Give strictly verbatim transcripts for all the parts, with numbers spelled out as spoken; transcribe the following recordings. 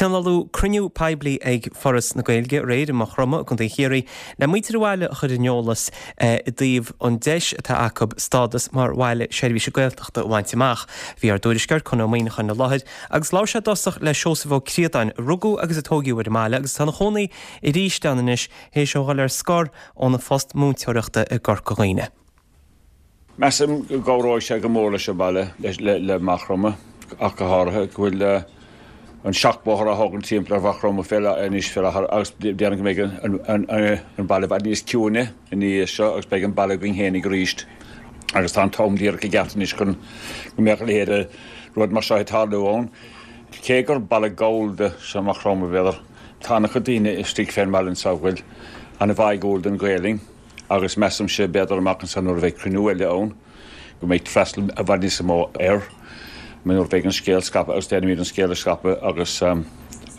Tionóladh cruinniú poiblí ag Foras na Gaeilge aréir i Maigh Chromtha i gContae Chiarraí le muintir an bhaile a chur ar an eolas i dtaobh an deis atá acu stádas mar bhaile seirbhíse Gaeltachta a bhaint amach. Bhí ár dtuairisceoir Conn Ó Muíneacháin i láthair agus labhair sé i dtosach le Seosamh Ó Críodáin a rugadh agus a tógadh ar an mbaile agus tá ina chónaí arís ann anois théis dó dhul ar scor óna phost múinteoireachta i gCorca Dhuibhne. Measaim go gcabhróidh sé go mór leis an baile le le Maigh Chromtha ach go háirithe go bhfuil an seachbhóthar á thógaint timpeall ar Mhaigh Chromtha fé anois fé láthair agus déarfainn go mbeidh an baile i bhfad níos ciúine ina dhiaidh seo agus beidh an baile againn féinig arís agus tá an t-am díreach i gceart anois chun go mbeadh a leithéid de rud mar seo ag tarlú ann. Cé gur baile gallda seo Maigh Chromtha b'fhéidir, tá an-chuid daoine istigh fén mbaile anseo a bhfuil an-bháúil don Ghaelainn agus measaimse b'fhéidir amach anseo nuair a bheidh cruinniú eile ann go mbeidh freastal i bhfad níos mó air. nuair a bheidh an scéal scaipthe agus déanfaimid an scéal a scaipeadh agus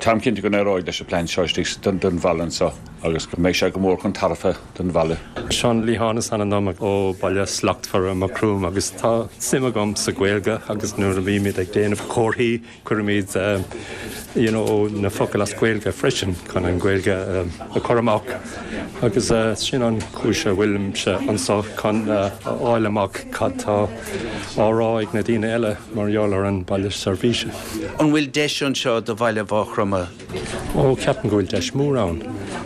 táim cinnte go n-éireoidh leis an plean seo istigh don bhaile anseo agus go mbeidh sé go mór chun tairbhe don bhaile. Seán Lián is ainm dom ó Baile Slachtmhar Maigh Chromtha agus tá suim agam sa Ghaeilge agus nuair a bhímid ag déanamh comharthaí cuirimid you know, na focail as Gaeilge freisin chun an Ghaeilge a chur amach agus sin an chúis a bhfuilimse anseo chun a fháil amach cad tá á rá ag na daoine eile mar gheall ar an baile seirbhíse. An bhfuil deis anseo do bhaile Mhaigh Chromtha? Ó ceapaim go bhfuil deis mór ann.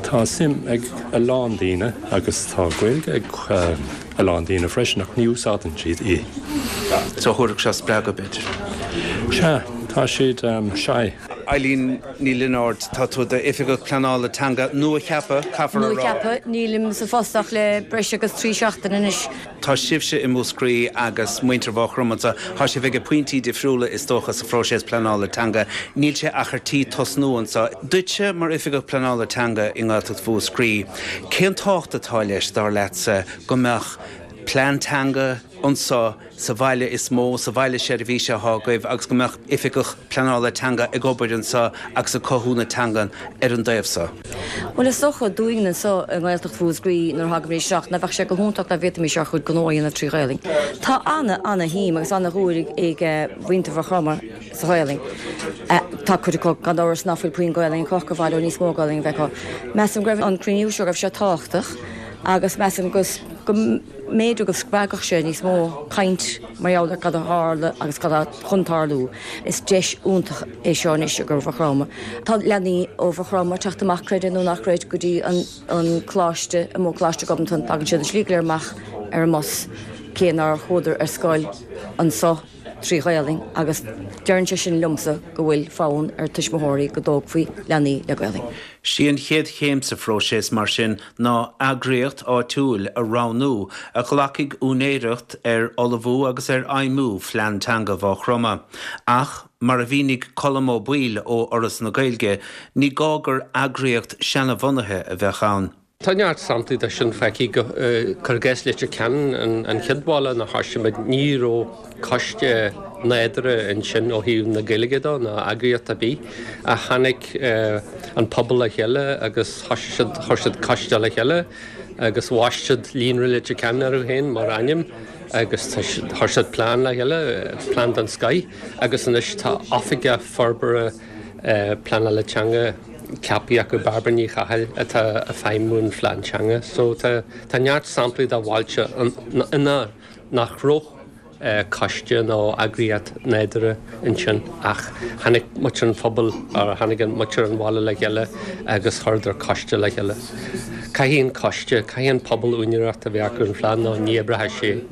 Tá suim ag a lán daoine agus tá Gaeilge ag a lán daoine freisin ach ní úsáideann siad í. So thabharfadh sé spreagadh b'fhéidir. Sea, tá siad um, shy. Eileen Ní Lionáird tá tú d'oifigeach pleanála teanga nua-cheaptha caithfear a rá. Nua-cheaptha nílim sa phost ach le breis agus trí seachtaine anois. Tá sibhse i Múscraí agus muintir Mhaigh Chromtha tá sibh ag pointí difriúla is dócha sa phróiseas pleanála teanga, níl sé ach ar tí tosnú anseo. Duitse mar oifigeach pleanála teanga i nGaeltacht Mhúscraí, cén tábhacht atá leis dar leatsa go mbeadh plean teanga anseo sa bhaile is mó sa bhaile seirbhíse atá agaibh agus go mbeadh oifigeach pleanála teanga ag obair anseo agus ag cothú na teangan ar an dtaobh seo. Well is dócha dúinn anseo i nGaeltacht Mhúscraí nuair thagaimid isteach na bheadh sé go hiontach dá bhféadfaimis ár chuid gnó a dhéanamh trí Ghaelainn. Tá ana ana-shuim agus ana-dhúil ag mhuintir Mhaigh Chromtha sa Ghaelainn. Tá cuid acu gan amhras nach bhfuil puinn Gaelainn acu gur mhaith leo níos mó Gaelainn a bheith acu. Measaim go raibh an cruinniú seo raibh sé tábhachtach agus measaim go go mb'fhéidir go spreagfadh sé níos mó caint mar gheall ar cad a tharla agus cad atá chun tarlú. Is deis iontach é seo anois do Mhaigh Chromtha. Tá leanaí ó Mhaigh Chromtha teacht amach creid é nó ná creid go dtí an an coláiste i Coláiste Ghobnatan tagann siad an slí go léir amach ar an mbus cé nár chuadar ar scoil anseo trí Ghaelainn agus deireann sé sin liomsa go bhfuil fonn ar tuismitheoirí go dtógfaí leanaí le Gaelainn. Sí an chéad chéim sa phróiseas mar sin ná eagraíocht áitiúil a roghnú a ghlacfaidh úinéireacht ar ullmhú agus ar fheidhmiú phlean teanga Mhaigh Chromtha. Ach mar a mhínigh Colm Ó Baoill ó Fhoras na Gaeilge, ní gá gur eagraíocht seanbhunaithe a bheadh ann. Tá neart samplaí de sin feicthe go cuir i gcás Leitir Ceanainn an chéad bhaile inar thosaigh muid ní raibh coiste nádúrtha ansin ó thaobh na Gaeilge dó ná eagraíocht ar bith a tháinig an pobal le chéile agus thosaigh siad chuir siad coiste le chéile agus bhaist siad Líonra Leitir Ceanainn orthu féin mar ainm agus chuir siad plean le chéile plean den scoth agus anois tá oifigeach forbartha pleanála teanga ceaptha acu Barbara Ní Chathail atá ag feidhmiú an phlean teanga. So tá tá neart samplaí de bhailte ina nach raibh coiste nó eagraíocht nádúrtha ansin ach tháinig muintir an phobail ar tháinig an muintir an bhaile le chéile agus chuireadar coiste le chéile. Caithfidh an coiste, caithfidh an pobal úinéireacht a bheith acu an phlean nó ní oibreoidh sé.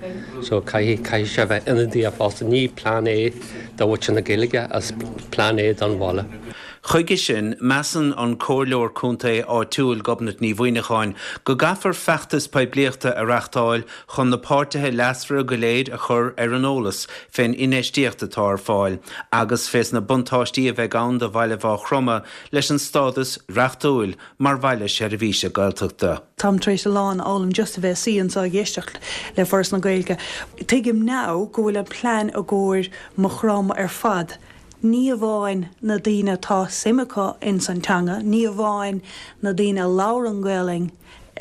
So caithfidh caithfidh sé bheith ionadaíoch fosta ní plean é do mhuintir na Gaeilge is plean é don bhaile. Chuige sin measann an comhairleoir contae áitiúil Gobnait Ní Mhuineacháin go gcaithfear feachtas poiblíochta a reáchtáil chun na páirtithe leasmhara go léir a chur ar an eolas fén infheistíocht atá ar fáil agus fés na buntáistí a bheidh ann do bhaile Mhaigh Chromtha leis an stádas reachtúil mar bhaile seirbhíse Gaeltachta. Táim tar éis a lán a fhoghlaim just a bheith suí anseo ag éisteacht le Foras na Gaeilge. Tuigim now go bhfuil an plean i gcomhair Maigh Chromtha ar fad. Ní amháin na daoine atá suim acu in san teanga, ní amháin na daoine a labhrann Gaelainn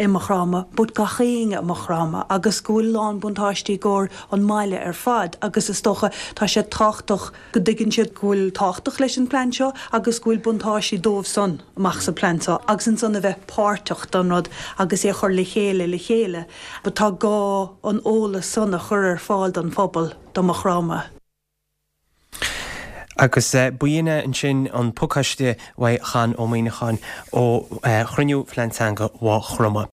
i Maigh Chromtha but gach éinne i Maigh Chromtha agus go bhfuil lán buntáistí i gcomhair an mbaile ar fad agus is dócha tá sé tábhachtach go dtuigeann siad go bhfuil tábhachtach leis an plean seo agus go bhfuil buntáistí dóibh san amach sa plean seo agus ansan a bheith páirteach don rud agus é a chur le chéile le chéile. But tá gá an eolas san a chur ar fáil don phobal do Maigh Chromtha. Agus b'in ansin an pacáiste uaidh Chan Ó Muíneacháin ó chruinniú Phlean Teanga Mhaigh Chromtha.